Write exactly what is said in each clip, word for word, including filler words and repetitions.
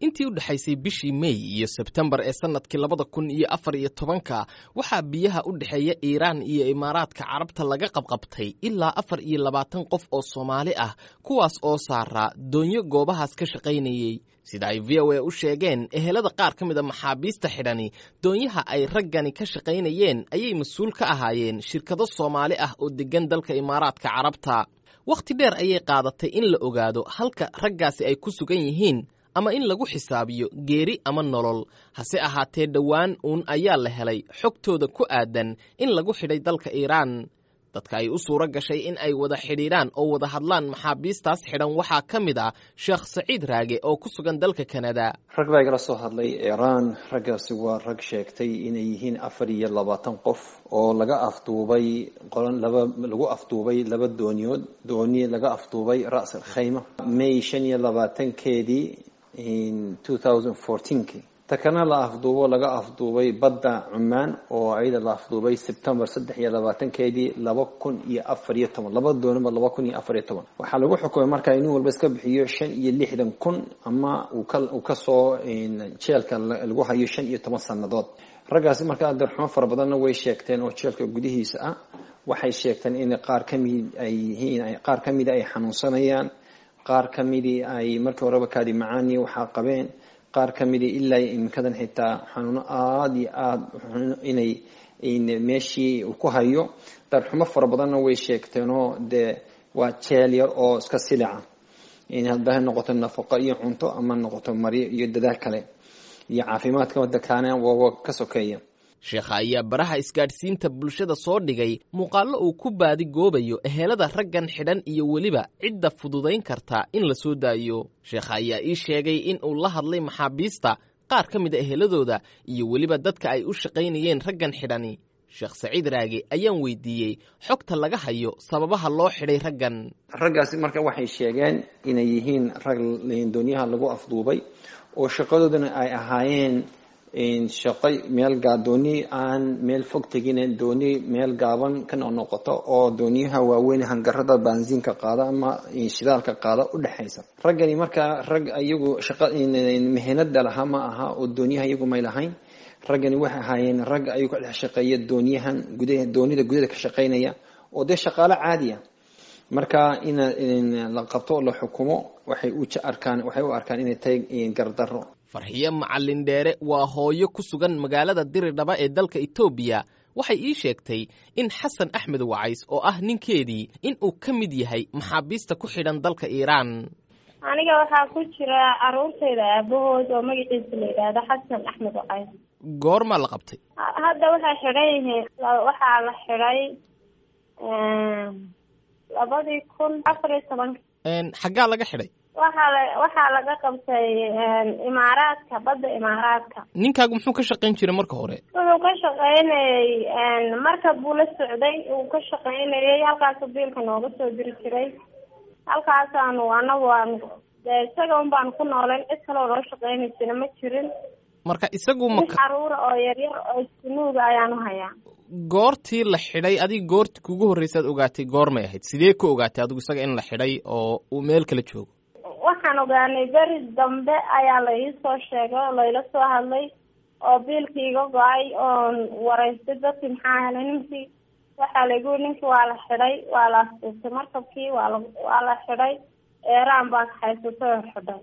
Intii u dhexaysay bishii Mey iyo Sebtembar ee sanadkii labada kun iyo afar iyo tobanka, waxaa biyaha u dhexeeya Iiraan iyo Imaaraadka Carabta laga qabqabtay ilaa afar iyo labaatan qof oo Soomaali ah, kuwaas oo saaraa doonyo goobahaas ka shaqaynayey. Sida ay V O A u sheegeen ehelada qaar ka mid a maxaabiista xidhani, doonyaha ay raggani ka shaqaynayeen ayay mas-uul ka ahaayeen shirkado Soomaali ah oo deggan dalka Imaaraadka Carabta. Wakhti dheer ayay qaadatay in la ogaado halka raggaasi ay ku sugan yihiin ama in lagu xisaabiyo geeri ama nolol. Hase ahaatee, dhowaan uun ayaa la helay xogtooda ku aadan in lagu xidhay dalka Iiraan. Dadka ay u suuro gashay in ay wada xidhiidhaan oo wada hadlaan maxaabiistaas xidhan waxaa ka mid ah Sheekh Saciid Raage oo ku sugan dalka Kanada. Rag baa igala soo hadlay Iiraan. Raggaasi waa rag sheegtay inay yihiin afar iyo labaatan qof oo laga afduubay qolan laba lagu afduubay laba dooniyood, dooni laga afduubay Ra's al Khayma May shan iyo labaatankeedii two thousand fourteenki, ta kana la afduubo laga afduubay badda Cumaan oo ayada la afduubay Sebtembar saddex iyo labaatankeedii laba kun iyo afar iyo toban, laba dooniba laba kun iyo afar iyo toban. Waxaa lagu xukumay markaa inuu walba iska bixiyo shan iyo lixdan kun ama uu ka uu kasoo jeelka lagu hayo shan iyo toban sanadood. Raggaasi markaa darxumo fara badanna way sheegteen oo jeelka gudihiisa ah. Waxay sheegteen in qaar kamid ay yihiin, qaar kamida ay xanuunsanayaan, qaar ka midii ay markii horeba kaadi macaani waxaa qabeen, qaar ka midii ilaa iminkadan xitaa xanuuno aada iyo aada inay meeshii uu ku hayo. Darxumo fara badanna way sheegteenoo dee waa jeel yar oo iska silica, in hadba ha noqoto nafaqo iyo cunto ama noqoto maryo iyo dadaal kale iyo caafimaadka wadakaana waa ka sokeeya. Sheekha ayaa baraha isgaadhsiinta bulshada soo dhigay muuqaallo uu ku baadigoobayo ehelada raggan xidhan iyo weliba cidda fududayn karta in la soo daayo. Sheekha ayaa ii sheegay in uu la hadlay maxaabiista qaar ka mid a eheladooda iyo weliba dadka ay u shaqaynayeen raggan xidhani. Sheekh Saciid Raage ayaan weydiiyey xogta laga hayo sababaha loo xidhay raggan. Raggaasi marka waxay sheegeen inay yihiin rag doonyaha lagu afduubay oo shaqadoodana ay ahaayeen shaqo meel gaa dooni aan meel fog tegin, dooni meel gaaban ka noqnoqoto oo dooniyaha waaweyn hangarada baansiinka qaada ama shidaalka qaada u dhexaysa. Raggani markaa rag iyagu shaqa mehenada lahaa ma aha oo dooniyaha iyagu may lahayn. Raggani waxay ahaayeen rag ayagu ka dhex shaqeeya dooniyahan gudaha, doonida gudaha ka shaqaynaya oo dee shaqaalo caadiya. Marka in la qabto oo la xukumo waxay u arkaan waxay u arkaan inay tahay gardarro. Farxiyo Macalin Dheere waa hooyo ku sugan magaalada Diridhaba ee dalka Itoobiya. Waxay ii sheegtay in Xasan Axmed Wacays oo ah ninkeedii in uu ka mid yahay maxaabiista ku xidhan dalka Iiraan. Aniga waxaa ku jira caruurtayda aabahood oo magaciisa la yidhaahdo Xasan Axmed Wacays. Goormaa la qabtay? Hadda waxay xidhan yihiin, waxaa la xidhay labadii kun afar iyo tobanka. Xaggaa laga xidhay? Waxaa la waxaa laga qabtay Imaaraadka, badda Imaaraadka. Ninkaagu muxuu ka shaqayn jiray marka hore? Wuxuu ka shaqaynayay markab buu la socday, uu ka shaqaynayay, halkaasu biilka nooga soo diri jiray. Halkaasaanu anagu aanu dee isaga un baanu ku nooleen, cid kaloo noo shaqaynaysana ma jirin. Marka isagu ma Mid caruura oo yaryar oo iskunuuga ayaanu hayaa. Goortii la xidhay adiga, goortii kugu horreysaad ogaatay goormay ahayd? Sidee ku ogaatay adigu isaga in la xidhay oo uu meel kala joogo? Waxaan ogaanay beri dambe ayaa la iisoo sheegay oo layla soo hadlay oo biilkii iga go-ay oon waraystay dadkii, maxaa helay ninkii? Waxaa laygu yiri ninkii waa la xidhay, waa la afduubtay markabkii, waa la waa la xidhay, Eeraan baa kaxaysatay oo xidhay.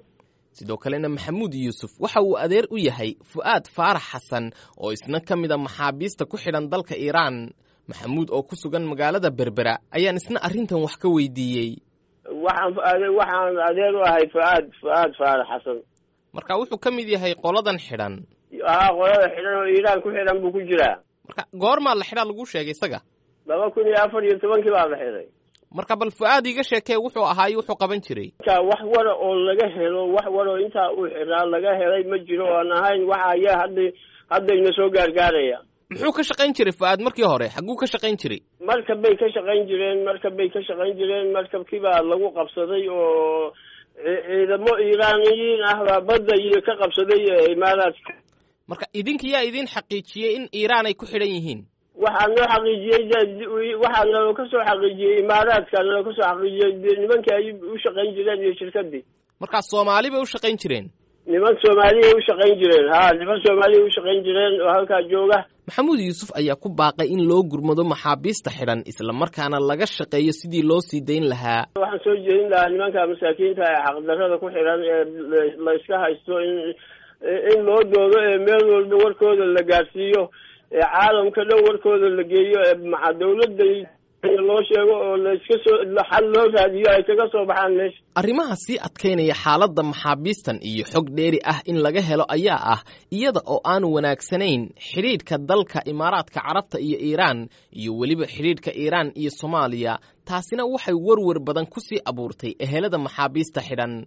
Sidoo kalena Maxamuud Yuusuf waxa uu adeer u yahay Fu'aad Faarax Xasan oo isna ka mid a maxaabiista ku xidhan dalka Iiraan. Maxamuud oo ku sugan magaalada Berbera ayaan isna arrintan wax ka weydiiyey. Waxaan waxaan adeer u ahay Fu'aad Fu'aad Faarax Xasan. Marka wuxuu ka mid yahay qoladan xidhan? Haa, qolada xidhan oo Iiraan ku xidhan buu ku jiraa. Marka goormaa la xidhaa laguu sheegay isaga? Laba kun iyo afar iyo tobankii baa la xidhay. Marka bal Fu'aad iiga sheekee wuxuu ahaay, wuxuu qaban jiray. Marka wax wara oo laga helo, wax waroo intaa uu xidhaa laga helay ma jiro oo aan ahayn waxa ayaa hadda haddayna soo gaargaaraya. Muxuu ka shaqayn jiray Fu'aad markii hore? Xagguu ka shaqayn jiray? Markab bay ka shaqayn jireen, markab bay ka shaqayn jireen. Markabkii baa lagu qabsaday oo ciidamo Iiraaniyiin ah baa badda iyo ka qabsaday Imaaraadka. Marka idinka yaa idin xaqiijiyey in Iiraan ay ku xidhan yihiin? Waxaa noo xaqiijiyey, waxaa naloo ka soo xaqiijiyey Imaaraadka, naloo ka soo xaqiijiyey nimankii ay u shaqayn jireen iyo shirkadii. Markaa Soomaali bay u shaqayn jireen? Niman Soomaaliya u shaqayn jireen, ha, niman Soomaaliya u shaqayn jireen oo halkaa jooga. Maxamuud Yuusuf ayaa ku baaqay in loo gurmado maxaabiista xidhan, islamarkaana laga shaqeeyo sidii loo sii dayn lahaa. Waxaan soo jeedin lahaa nimanka masaakiinta ee xaqdarrada ku xidhan ee la iska haysto in in loo doodo, ee meel walba warkooda la gaadhsiiyo, ee caalamka dhan warkooda la geeyo, ee maca dawladda loo sheego oo la iska soo xal loo raadiyo ay kaga soo baxaan meesha. Arrimaha sii adkaynaya xaaladda maxaabiistan iyo xog dheeri ah in laga helo ayaa ah iyada oo aan wanaagsanayn xidhiidhka dalka Imaaraadka Carabta iyo Iiraan, iyo weliba xidhiidhka Iiraan iyo Soomaaliya. Taasina waxay werwer badan ku sii abuurtay ehelada maxaabiista xidhan.